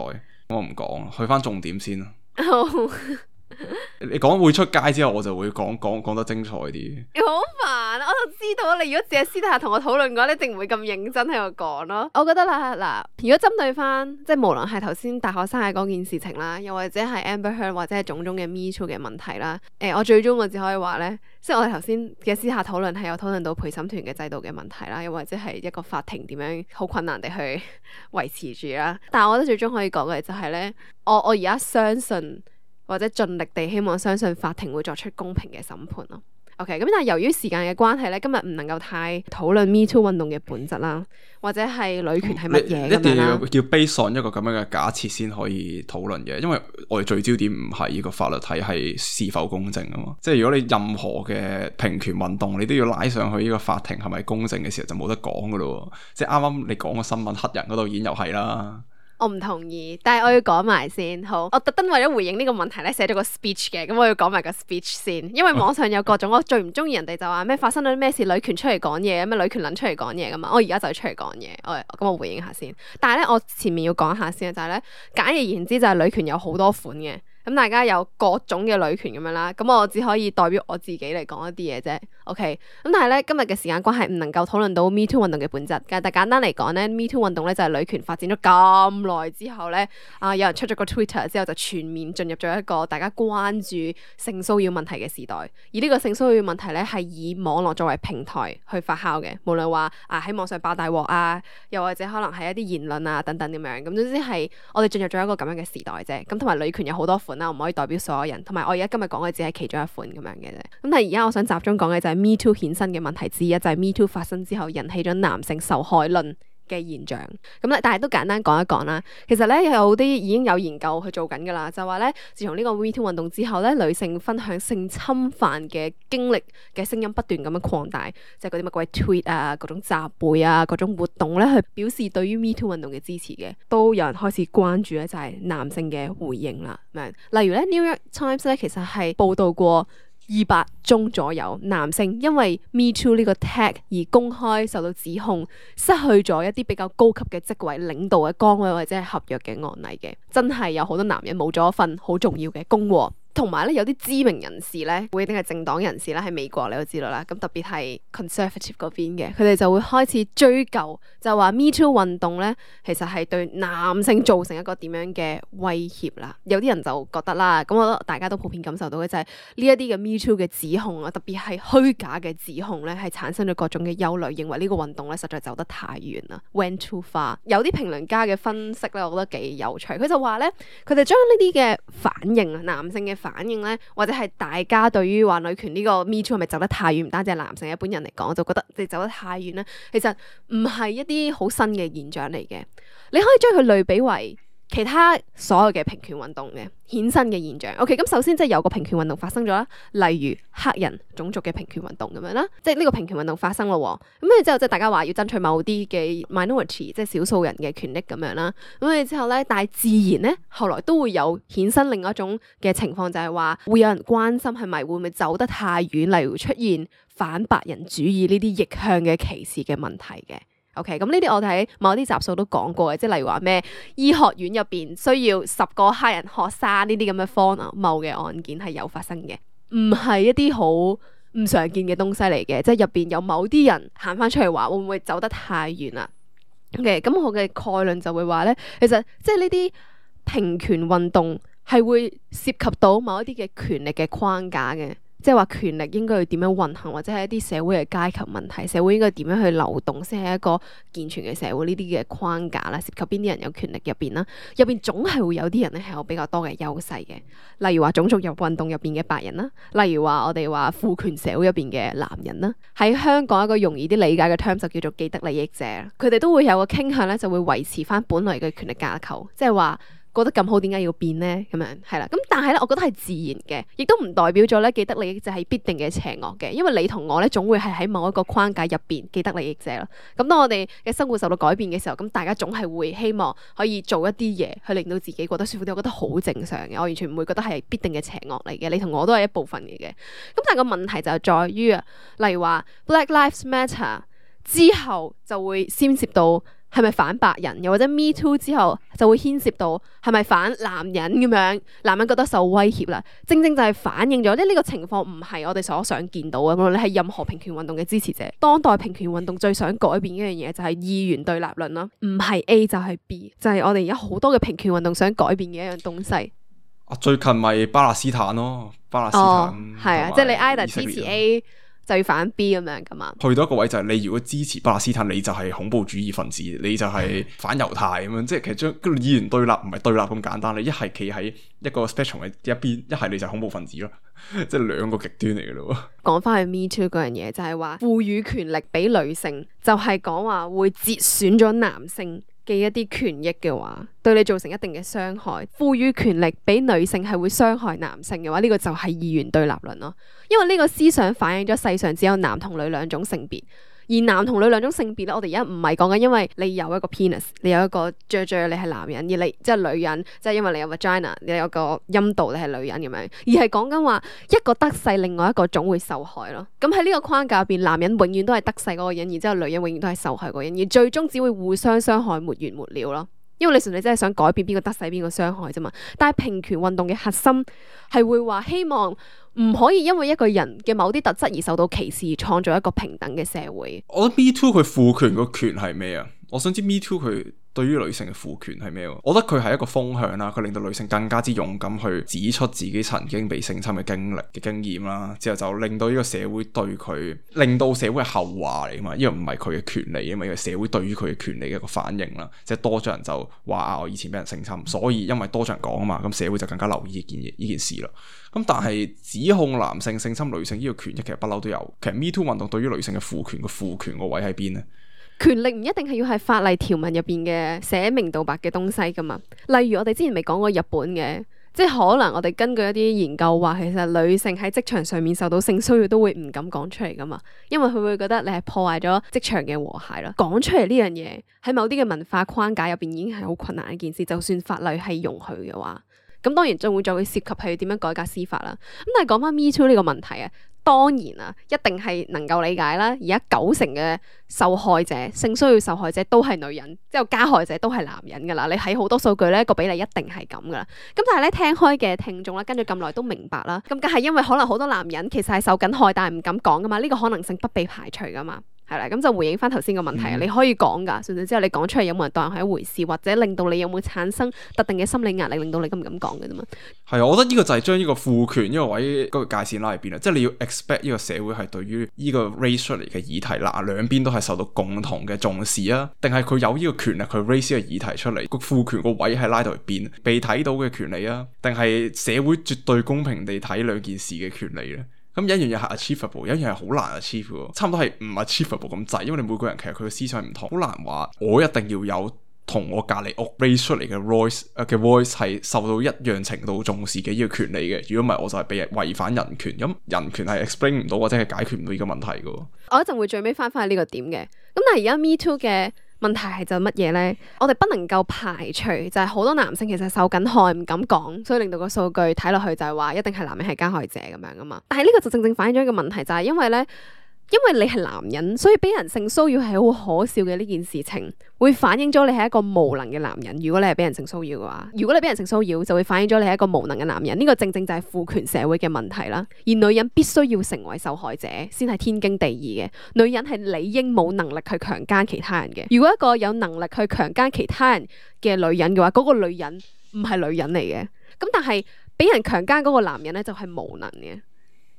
我唔講，去翻重點先啦。你講會出街之後，我就會講得精彩啲。好煩，我就知道你如果只係私底下同我討論嘅話，你一定唔會咁認真喺度講咯。我覺得啦，嗱，如果針對翻即係無論係頭先大學生嘅嗰件事情啦，又或者係 Amber Heard 或者係種種嘅 Me Too 嘅問題啦，我最終我只可以話咧，即係我哋頭先嘅私下討論係有討論到陪審團嘅制度嘅問題啦，又或者係一個法庭點樣好困難地去維持住啦。但係我覺得最終可以講嘅就係咧，我而家相信，或者盡力地希望相信法庭會作出公平嘅審判咯。OK，咁但係由於時間嘅關係咧，今日唔能夠太討論 Me Too 運動嘅本質啦，或者係女權係乜嘢咁樣啦。一定要 base on 一個咁樣嘅假設先可以討論嘅，因為我哋聚焦點唔係呢個法律體系是否公正啊嘛。即係如果你任何嘅平權運動，你都要拉上去呢個法庭係咪公正嘅時候，就冇得講噶咯。即係啱啱你講個新聞黑人嗰度已經又係啦。我唔同意，但係我要講埋先。好，我特登為咗回應呢個問題咧，寫咗個 speech 嘅，咁我要講埋個 speech 先，因為網上有各種我最唔中意人哋就話咩發生咗咩事，女權出嚟講嘢，咩女權撚出嚟講嘢噶嘛，我而家就出嚟講嘢，咁我回應下先。但係咧，我前面要講下先，就係咧，簡而言之就係女權有好多款嘅。咁大家有各種嘅女權咁樣啦，咁我只可以代表我自己嚟講一啲嘢啫。OK，咁但係咧，今日嘅時間關係唔能夠討論到 Me Too 運動嘅本質。但係簡單嚟講咧，Me Too 運動咧就係女權發展咗咁耐之後咧，有人出咗個 Twitter 之後就全面進入咗一個大家關注性騷擾問題嘅時代。而呢個性騷擾問題咧係以網絡作為平台去發酵嘅，無論話喺網上爆大鑊啊，又或者可能係一啲言論啊等等咁樣。咁總之係我哋進入咗一個咁樣嘅時代啫。咁同埋女權有好多款。款啦，我唔可以代表所有人，同埋我而家今日講嘅只係其中一款咁樣嘅啫。咁但係而家我想集中講嘅就係 Me Too 衍生嘅問題之一，就係 Me Too 發生之後引起咗男性受害論嘅現象。咁咧，但係都簡單講一講啦。其實咧有啲已經有研究去做緊噶啦，就話咧自從呢個 Me Too 運動之後咧，女性分享性侵犯嘅經歷嘅聲音不斷咁樣擴大，即係嗰啲乜鬼 tweet 啊、各種集會啊、各種活動咧，去表示對於 Me Too 運動嘅支持嘅，都有人開始關注咧，就係男性嘅回應啦。例如咧 New York Times 咧，其實係報道過200宗左右男性因為 Me Too 呢個 tag 而公開受到指控，失去咗一啲比較高級嘅職位、領導嘅崗位或者係合約嘅案例嘅，真係有好多男人冇咗一份好重要嘅工喎。同埋咧，有啲知名人士咧，會一定係政黨人士啦，喺美國你都知道啦。咁特別係 conservative 嗰邊嘅，佢哋就會開始追究，就話 Me Too 運動咧，其實係對男性造成一個點樣嘅威脅啦。有啲人就覺得啦，咁我覺得大家都普遍感受到嘅就係呢一啲嘅 Me Too 嘅指控啊，特別係虛假嘅指控咧，係產生咗各種嘅憂慮，認為呢個運動咧實在走得太遠啦 ，went too far。有啲評論家嘅分析咧，我覺得幾有趣。佢就話咧，佢哋將呢啲嘅反應啊，男性嘅反應咧，或者係大家對於話女權呢個 Me Too 係咪走得太遠？唔單止係男性，一般人嚟講就覺得你走得太遠咧，其實唔係一啲好新嘅現象嚟嘅。你可以將佢類比為其他所有嘅平權運動嘅衍生嘅現象。OK， 咁首先即係有個平權運動發生咗啦，例如黑人種族嘅平權運動咁樣啦，即係呢個平權運動發生咯。咁跟住之後即係大家話要爭取某啲嘅 minority，即係少數人嘅權利咁樣啦。咁跟住之後咧，但係自然咧，後來都會有衍生另一種嘅情況，就係話會有人關心係咪會唔會走得太遠，例如出現反白人主義呢啲逆向嘅歧視嘅問題嘅。OK， 咁呢啲我哋喺某啲集數都講過嘅，即係例如話咩醫學院入邊需要10個黑人學生呢啲咁嘅荒謬嘅案件係有發生嘅，唔係一啲好唔常見嘅東西嚟嘅，即係入邊有某啲人行翻出嚟話會唔會走得太遠啦？OK，咁我嘅概論就會話咧，其實即係呢啲平權運動係會涉及到某一啲嘅權力嘅框架嘅。即係話權力應該要點樣運行，或者係一啲社會嘅階級問題，社會應該點樣去流動先係一個健全嘅社會，呢啲嘅框架啦，涉及邊啲人有權力入邊啦，入邊總係會有啲人咧係有比較多嘅優勢嘅，例如話種族運動入邊嘅白人啦，例如話我哋話父權社會入邊嘅男人啦，喺香港一個容易啲理解嘅 term 就叫做既得利益者，佢哋都會有個傾向咧，就會維持翻本來嘅權力架構，即係話覺得咁好，點解要變呢？咁樣係啦，咁但係咧，我覺得係自然嘅，亦都唔代表咗咧既得利益者係必定嘅邪惡嘅，因為你同我咧總會係喺某一個框架入邊既得利益者咯。咁當我哋嘅生活受到改變嘅時候，咁大家總係會希望可以做一啲嘢去令到自己覺得舒服啲，我覺得好正常嘅，我完全唔會覺得係必定嘅邪惡嚟嘅。你同我都係一部分嚟嘅。咁但係個問題就係在於啊，例如話 Black Lives Matter 之後就會牽涉到係咪反白人，又或者 Me Too 之後就會牽涉到係咪反男人咁樣，男人覺得受威脅啦，正正就係反映咗，即係呢個情況唔係我哋所想見到嘅。無論你係任何平權運動嘅支持者，當代平權運動最想改變一樣嘢就係二元對立論啦，唔係 A 就係 B， 就係我哋而家好多嘅平權運動想改變嘅一樣東西。最近咪巴勒斯坦咯，巴勒斯坦係啊，即係你 either 支持 A。就要反 B 咁樣噶嘛？去到一個位就係你如果支持巴勒斯坦，你就係恐怖主義分子，你就係反猶太咁樣。即係其實將個二元對立唔係對立咁簡單，你一係企喺一個 spectrum 嘅一邊，一係你就係恐怖分子咯，即係兩個極端嚟嘅咯。講翻去 Me Too 嗰樣嘢，就係話賦予權力俾女性，就係講話會節選咗男性嘅一啲權益嘅話，對你造成一定嘅傷害。賦予權力俾女性係會傷害男性嘅話，呢個就係二元對立論咯。因為呢個思想反映咗世上只有男同女兩種性別，而男同女兩種性別咧，我哋而家唔係講緊因為你有一個 penis， 你有一個雀雀，你係男人，而你即係女人，即係因為你有 vagina， 你有個陰道，你係女人咁樣，而係講緊話一個得勢，另外一個總會受害咯。咁喺呢個框架入邊，男人永遠都係得勢嗰個人，然之後女人永遠都係受害嗰個人，而最終只會互相傷害，沒完沒了咯。因為你純粹真係想改變邊個得勢邊個傷害啫嘛。但係平權運動嘅核心係會話希望唔可以因為一個人嘅某啲特質而受到歧視，而創造一個平等嘅社會。我覺得 Me Too 佢賦權個權係咩啊？我想知 Me Too 佢對於女性嘅賦權係咩？我覺得佢係一個風向啦，佢令到女性更加之勇敢去指出自己曾經被性侵嘅經歷嘅經驗啦，之後就令到呢個社會對佢，令到社會係後話嚟啊嘛，因為唔係佢嘅權利啊嘛，因為社會對於佢嘅權利嘅一個反應啦，即係多咗人就話我以前俾人性侵，所以因為多咗人講啊嘛，咁社會就更加留意呢件事啦。咁但係指控男性性侵女性呢個權益其實不嬲都有，其實 Me Too 運動對於女性嘅賦權個位喺邊呢？權力唔一定係要係法例條文入邊嘅寫明道白嘅東西噶嘛，例如我哋之前未講過日本嘅，即係可能我哋根據一啲研究話，其實女性喺職場上面受到性騷擾都會唔敢講出嚟噶嘛，因為佢會覺得你係破壞咗職場嘅和諧啦。講出嚟呢樣嘢喺某啲嘅文化框架入邊已經係好困難一件事，就算法例係容許嘅話，咁當然仲會再會涉及係點樣改革司法啦。咁但係講翻 Me Too 呢個問題啊，當然啊，一定係能夠理解啦。而家90%嘅受害者，性騷擾受害者都係女人，之後加害者都係男人噶啦。你睇好多數據咧，個比例一定係咁噶啦。咁但係咧，聽開嘅聽眾啦，跟住咁耐都明白啦。咁梗係因為可能好多男人其實係受緊害，但係唔敢講噶嘛。呢個可能性不被排除噶嘛。係啦，咁就回應翻頭先個問題啊，你可以講噶，甚至之後你講出嚟有冇人當係一回事，或者令到你有冇產生特定嘅心理壓力，令到你咁唔敢講嘅啫嘛。係啊，我覺得呢個就係將呢個賦權呢個位嗰個界線拉喺邊啦，即係你要 expect 呢個社會係對於呢個 raise 出嚟嘅議題啦，兩邊都係受到共同嘅重視啊，定係佢有呢個權力去 raise 呢個議題出嚟，個賦權個位係拉到去邊，被睇到嘅權利啊，定係社會絕對公平地睇兩件事嘅權利咧？咁有一樣嘢係 achievable，有一樣係好難 achieve 嘅，差唔多係唔 achievable 咁滯，因為你每個人其實佢嘅思想唔同，好難話我一定要有同我隔離屋 raise 出嚟嘅 voice 係受到一樣程度重視嘅呢個權利嘅。如果唔係，我就係被違反人權。咁人權係 explain 唔到或者係解決唔到呢個問題嘅。我一陣會最尾翻返去呢個點嘅。咁但係而家 Me Too 嘅問題係就乜嘢咧？我哋不能夠排除就係好多男性其實受緊害唔敢講，所以令到個數據睇落去就係話一定係男人係加害者咁樣噶嘛。但係呢個就正正反映咗一個問題，就係因為咧。因為你係男人，所以俾人性騷擾係好可笑嘅呢件事情，會反映咗你係一個無能嘅男人。如果你係俾人性騷擾嘅話，如果你俾人性騷擾，就會反映咗你係一個無能嘅男人。呢個正正就係父權社會嘅問題啦。而女人必須要成為受害者，先係天經地義嘅。女人係理應冇能力去強姦其他人嘅。如果一個有能力去強姦其他人嘅女人嘅話，嗰個女人唔係女人嚟嘅。咁但係俾人強姦嗰個男人咧，就係無能嘅。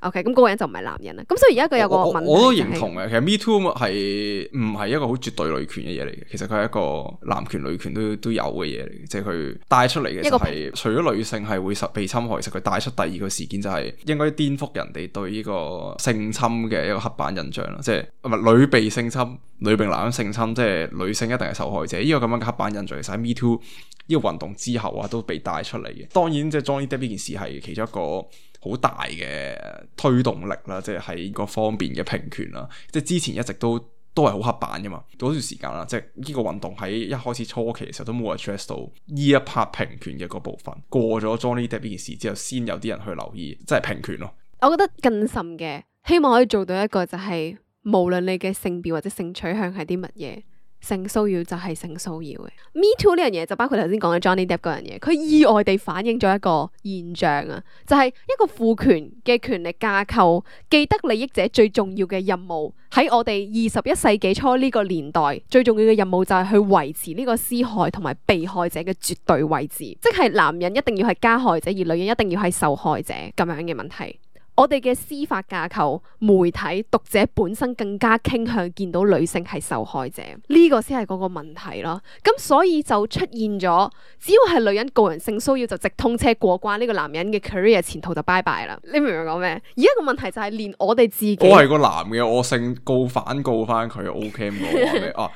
OK， 咁嗰個人就唔係男人啦。咁所以而家佢有個問題，我都認同嘅。其實 Me Too 係唔係一個好絕對女權嘅嘢嚟嘅？其實佢係一個男權女權都有嘅嘢嚟嘅，即係佢帶出嚟嘅就係除咗女性係會被侵害，其實佢帶出第二個事件就係應該顛覆人哋對呢個性侵嘅一個刻板印象啦。即係唔係女被性侵，女被男人性侵，即係女性一定係受害者。呢個咁樣嘅刻板印象，其實喺 Me Too 呢個運動之後啊，都被帶出嚟嘅。當然，即係 Johnny Depp 呢件事係其中一個好大嘅推動力啦，即係喺各方面嘅平權啦，即係之前一直都係好刻板噶嘛。嗰段時間啦，即係呢個運動喺一開始初期嘅時候都冇 address 到呢一 part 平權嘅嗰部分。過咗 Johnny Depp 呢件事之後，先有啲人去留意，即係平權咯。我覺得更甚嘅，希望可以做到一個就係，無論你嘅性別或者性取向係啲乜嘢。性騷擾就係性騷擾嘅。Me Too 呢樣嘢就包括頭先講嘅 Johnny Depp 嗰樣嘢，佢意外地反映咗一個現象啊，就係一個父權嘅權力架構，既得利益者最重要嘅任務喺我哋21世紀初呢個年代，最重要嘅任務就係去維持呢個施害同埋被害者嘅絕對位置，即係男人一定要係加害者，而女人一定要係受害者咁樣嘅問題。我哋嘅司法架構、媒體、讀者本身更加傾向見到女性係受害者，呢個先係嗰個問題咯。咁所以就出現咗，只要係女人告人性騷擾就直通車過關，呢個男人嘅 career 前途就拜拜啦。你明唔明講咩？而家個問題就係連我哋自己，我係個男嘅，我性告翻佢 OK 咁我話咩啊？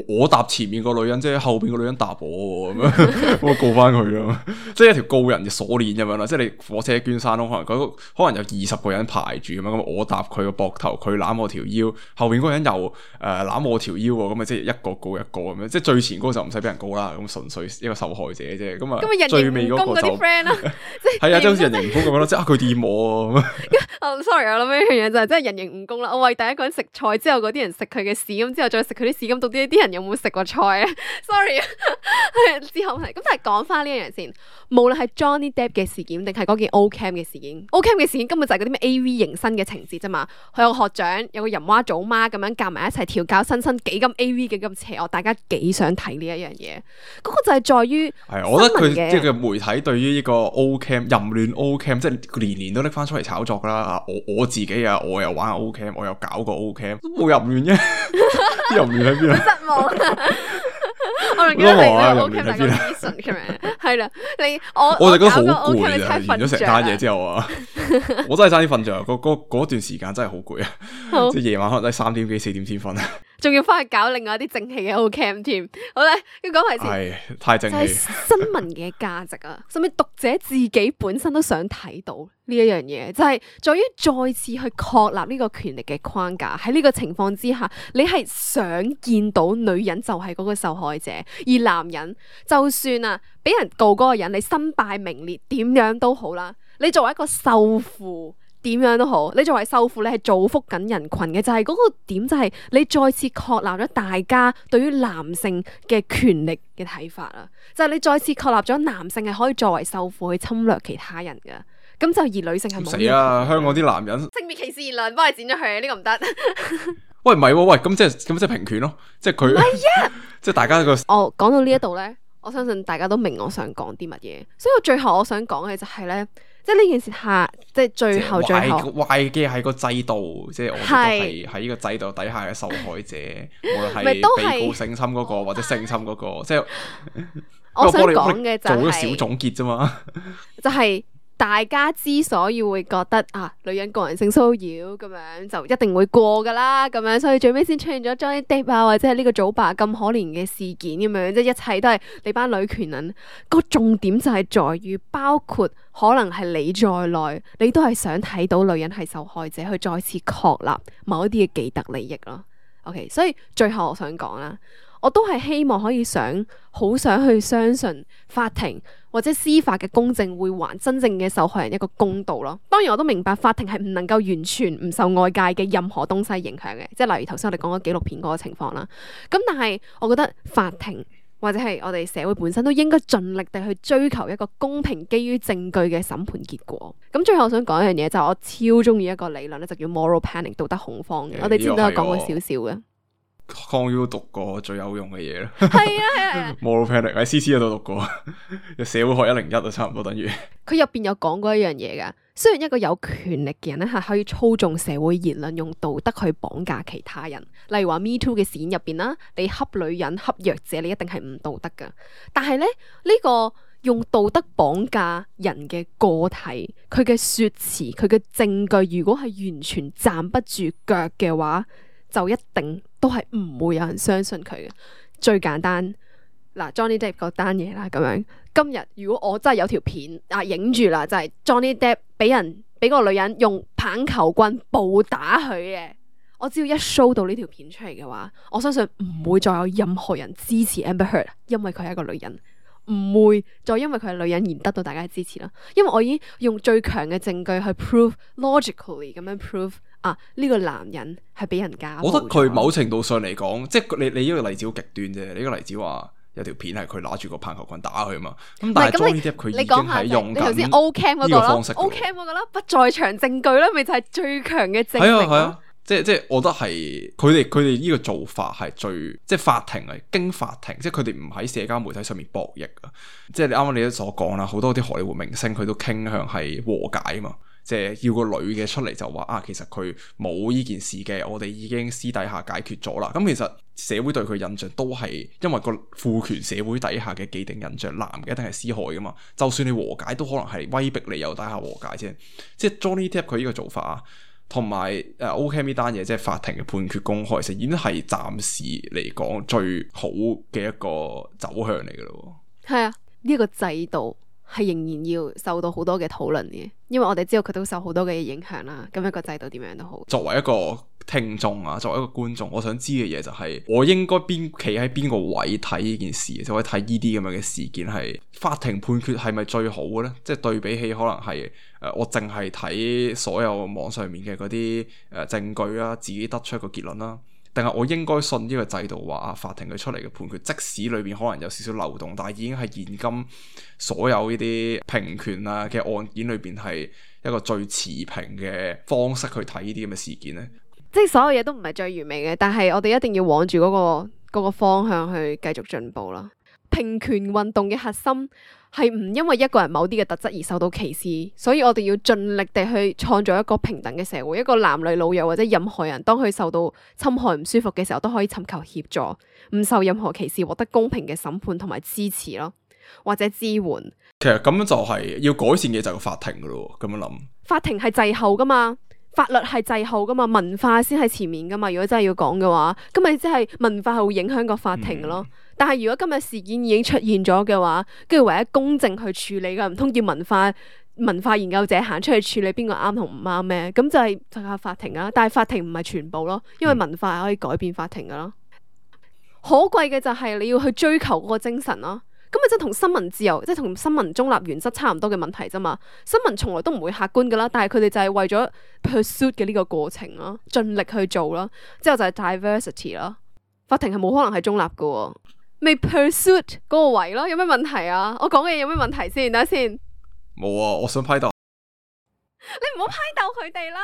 我搭前面個女人，即係後邊個女人搭我咁樣，我告翻佢咯。即係一條告人嘅鎖鏈咁樣啦。即係你火車捐山窿，可能有20個人排住咁樣，咁我搭佢個膊頭，佢攬我條腰，後邊嗰個人又攬我條腰喎，咁啊即係一個告一個咁樣。即係最前嗰個就唔使俾人告啦，咁純粹一個受害者啫。咁啊最尾嗰個就係啊，即係好似人形蜈蚣咁樣咯，即係佢掂我咁。sorry， 我諗呢樣嘢就係真係人形蜈蚣啦。我為第一個人食菜之後，嗰啲人食佢嘅屎，咁之後再食佢啲屎，咁到底啲人有冇食過菜啊？sorry 啊，之後係咁，但係講翻呢樣嘢先。無論係 Johnny Depp 嘅事件，定係嗰件 Ocam 嘅事件，Ocam 嘅事件根本就係嗰嗰啲咩 A.V. 迎新嘅情節啫嘛。佢有個學長，有個淫娃祖媽咁樣夾埋一齊調教新生，幾咁 A.V. 幾咁邪惡，大家幾想睇呢一樣嘢。嗰個就係在於係，我覺得佢即係個媒體對於呢個 O.Cam 淫亂 O.Cam 即係年年都拎翻出嚟炒作噶啦。我自己啊，我又玩 O.Cam， 我又搞過 O.Cam， 都冇淫亂啫，淫亂喺邊啊？失望。我仲記得你咧 O.Cam 大個 reason 咁樣，係啦，我就覺得好攰啊！完咗成單嘢之後啊，我真係差啲瞓着，嗰段時間真係好攰啊！即係夜晚可能都係3點幾4點先瞓啊，仲要翻去搞另外一啲正氣嘅 O.Cam 添。好咧，要講埋先，係太正氣。就係新聞嘅價值啊，甚至讀者自己本身都想睇到呢一樣嘢，就係在於再次去確立呢個權力嘅框架。喺呢個情況之下，你係想見到女人就係嗰個受害者，而男人就算啊俾人告嗰個人，你身敗名裂點樣都好啦，你作為一個受父點樣都好，你作為受父你係造福緊人群嘅，就係嗰個點，就係你再次確立咗大家對於男性嘅權力嘅睇法啊，就係你再次確立咗男性係可以作為受父去侵略其他人噶。咁就而女性係冇死啦！香港啲男人性別歧視言論，幫你剪咗佢，呢個唔得。喂，唔係喎，喂，咁即係平權咯，即係佢，即係大家個。我講到呢一度咧，我相信大家都明我想講啲乜嘢，所以我最後我想講嘅就係咧，即係呢件事下，即係最後壞嘅係個制度，即係我覺得係喺呢個制度底下嘅受害者，無論係被告性侵嗰個或者性侵嗰個，即係我想講嘅就係做咗小總結啫嘛，就係。大家之所以會覺得啊，女人個人性騷擾咁樣就一定會過噶啦，咁樣所以最尾先出現咗 Johnny Depp 啊，或者係呢個祖爸咁可憐嘅事件咁樣，即係一切都係你班女權人。個重點就係在於，包括可能係你在內，你都係想睇到女人係受害者，去再次確立某一啲嘅既得利益咯。OK， 所以最後我想講啦，我都係希望可以好想去相信法庭或者司法嘅公正會還真正嘅受害人一個公道咯。當然我都明白法庭係唔能夠完全唔受外界嘅任何東西影響嘅，即係例如頭先我哋講嘅紀錄片嗰個情況啦。咁但係我覺得法庭或者係我哋社會本身都應該盡力地去追求一個公平基於證據嘅審判結果。咁最後我想講一樣嘢，就係我超中意一個理論咧，就叫 moral panic 道德恐慌嘅。我哋之前都有講過少少嘅。康 U 讀過最有用嘅嘢啦，係啊，moral panic 喺 CC 嗰度讀過，社會學101啊，差唔多等於。佢入邊有講過一樣嘢噶，雖然一個有權力嘅人咧係可以操縱社會言論，用道德去綁架其他人，例如話 Me Too 嘅事件入邊啦，你恰女人恰弱者，你一定係唔道德噶。但係咧呢個用道德綁架人嘅個體，佢嘅說辭，佢嘅證據，如果係完全站不住腳嘅話，就一定都係唔會有人相信佢嘅。最簡單嗱 ，Johnny Depp 嗰單嘢啦，咁樣今日如果我真係有條片影住啦，就係 Johnny Depp 俾個女人用棒球棍暴打佢嘅，我只要一 show 到呢條片出嚟嘅話，我相信唔會再有任何人支持 Amber Heard， 因為佢係一個女人，唔會再因為佢係女人而得到大家嘅支持啦。因為我已經用最強嘅證據去 prove logically 咁樣 prove。呢個男人係俾人家暴，我覺得佢某程度上嚟講，即係你呢個例子好極端啫。你呢個例子話有條片係佢拿住個棒球棍打佢嘛，咁但係 Johnny Depp 佢已經係用緊呢個方式。O.Cam 嗰個啦，不在場證據啦，咪就係最強嘅證明。係啊，即係我覺得係佢哋呢個做法係最，即係法庭係經法庭，即係佢哋唔喺社交媒體上面博弈啊。即係你啱啱你都所講啦，好多啲荷里活明星佢都傾向係和解啊嘛。即係要個女嘅出嚟就話其實佢冇呢件事嘅，我哋已經私底下解決咗啦。咁其實社會對佢印象都係因為個父權社會底下嘅既定印象，男嘅一定係施害噶嘛。就算你和解，都可能係威逼你有底下和解啫。即係 Johnny Depp 佢呢個做法啊，同埋O.Cam 呢單嘢，即係法庭嘅判決公開，其實已經係暫時嚟講最好嘅一個走向嚟噶咯。係啊，呢個制度係仍然要受到好多嘅討論嘅，因為我哋知道佢都受好多嘅影響啦。咁一個制度點樣都好，作為一個聽眾啊，作為一個觀眾，我想知嘅嘢就係我應該企喺邊個位睇呢件事，就可以睇呢啲咁樣嘅事件係法庭判決係咪最好嘅咧？即係對比起可能係我淨係睇所有網上面嘅嗰啲證據啊，自己得出一個結論啦。定係我應該信呢個制度話法庭佢出嚟嘅判決，即使裏邊可能有少少漏洞，但係已經係現今所有呢啲平權啊嘅案件裏邊係一個最持平嘅方式去睇呢啲咁嘅事件呢？即係所有嘢都唔係最完美嘅，但係我哋一定要往住嗰個方向去繼續進步啦。平權運動嘅核心係唔因為一個人某啲嘅特質而受到歧視，所以我哋要盡力地去創造一個平等嘅社會，一個男女老幼或者任何人當佢受到侵害唔舒服嘅時候都可以尋求協助，唔受任何歧視，獲得公平嘅審判同埋支持咯，或者支援。其實咁樣就係要改善嘅就係個法庭噶咯，咁樣諗。法庭係滯後噶嘛，法律係滯後噶嘛，文化先係前面噶嘛。如果真係要講嘅話，咁咪即係文化係會影響個法庭咯。但係如果今日事件已經出現咗嘅話，跟住唯一公正去處理嘅，唔通叫文化研究者行出去處理邊個啱同唔啱咩？咁就係靠法庭啊。但係法庭唔係全部咯，因為文化係可以改變法庭噶咯。可貴嘅就係你要去追求嗰個精神咯。咁咪即係同新聞自由，即係同新聞中立原則差唔多嘅問題啫嘛。新聞從來都唔會客觀噶啦，但係佢哋就係為咗 pursuit 嘅呢個過程咯，盡力去做咯。之後就係 diversity 咯。法庭係冇可能係中立噶，未 pursuit 嗰個位咯。有咩問題啊？我講嘅嘢有咩問題先？等下先。冇啊，我想批鬥。你唔好批鬥佢哋啦。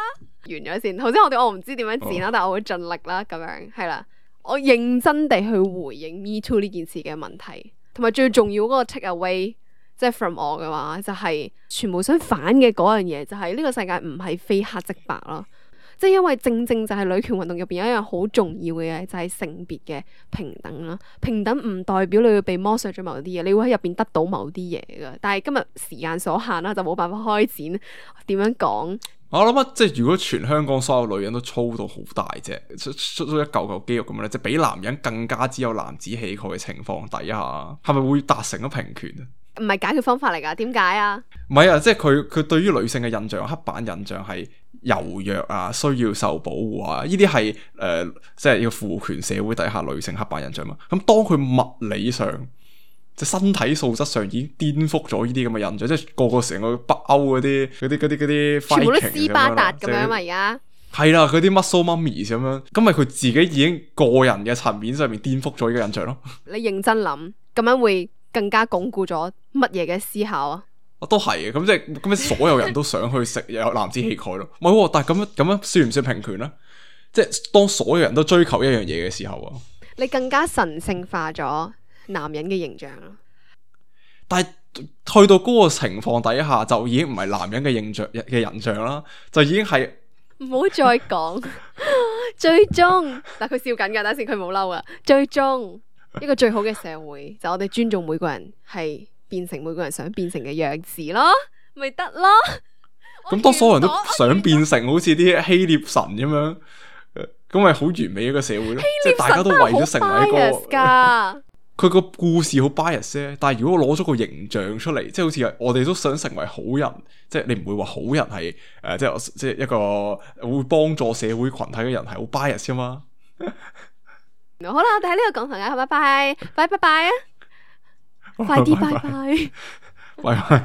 完咗先。頭先我唔知點樣剪啦，但係我會盡力啦。咁樣係啦，我認真地去回應 Me Too 呢件事嘅問題。同埋最重要嗰個 take away， 即係 from 我嘅話，就係全部想反嘅嗰樣嘢，就係呢個世界唔係非黑即白咯。即係因為正就係女權運動入邊有一樣好重要嘅嘢，就係性別嘅平等啦。平等唔代表你會被剝削咗某啲嘢，你會喺入邊得到某啲嘢噶。但係今日時間所限啦，就冇辦法開展點樣講。我諗啊，即係如果全香港所有女人都粗到好大隻，出一嚿嚿肌肉咁樣咧，即係比男人更加只有男子氣概嘅情況底下，係咪會達成咗平權啊？唔係解決方法嚟噶，點解啊？唔係啊，即係佢對於女性嘅印象，刻板印象係柔弱啊，需要受保護啊，呢啲係即係要父權社會底下女性刻板印象嘛。咁當佢物理上，即係身體素質上已經顛覆咗呢啲咁嘅印象，即係個成個北歐嗰啲，全部都斯巴達咁樣嘛，而家係啦，嗰啲 muscle mummies 咁樣，咁咪佢自己已經個人嘅層面上面顛覆咗呢個印象咯。你認真諗，咁樣會更加鞏固咗乜嘢嘅思考啊？都係嘅，咁即係咁，所有人都想去食有男子氣概咯。唔係，但係咁樣算唔算平權咧？即係當所有人都追求一樣嘢嘅時候啊，你更加神聖化咗男人嘅形象咯。但係去到嗰個情況底下，就已經唔係男人嘅形象嘅人像啦，就已經係唔好再講。最終，但佢笑緊噶，等陣佢冇嬲啊。最終一個最好嘅社會就我哋尊重每個人係變成每個人想變成嘅樣子咯，咪得咯。咁當所有人都想變成好似啲希臘神咁樣，咁咪好完美一個社會咯。即係大家都為咗成為一個，佢個故事好 bias 啫。但係如果我攞咗個形象出嚟，即係好似我哋都想成為好人，即係你唔會話好人係即係一個會幫助社會群體嘅人係好 bias 噶嘛。好啦，我哋喺呢度講同拜拜，拜拜啊！快啲拜拜，拜拜。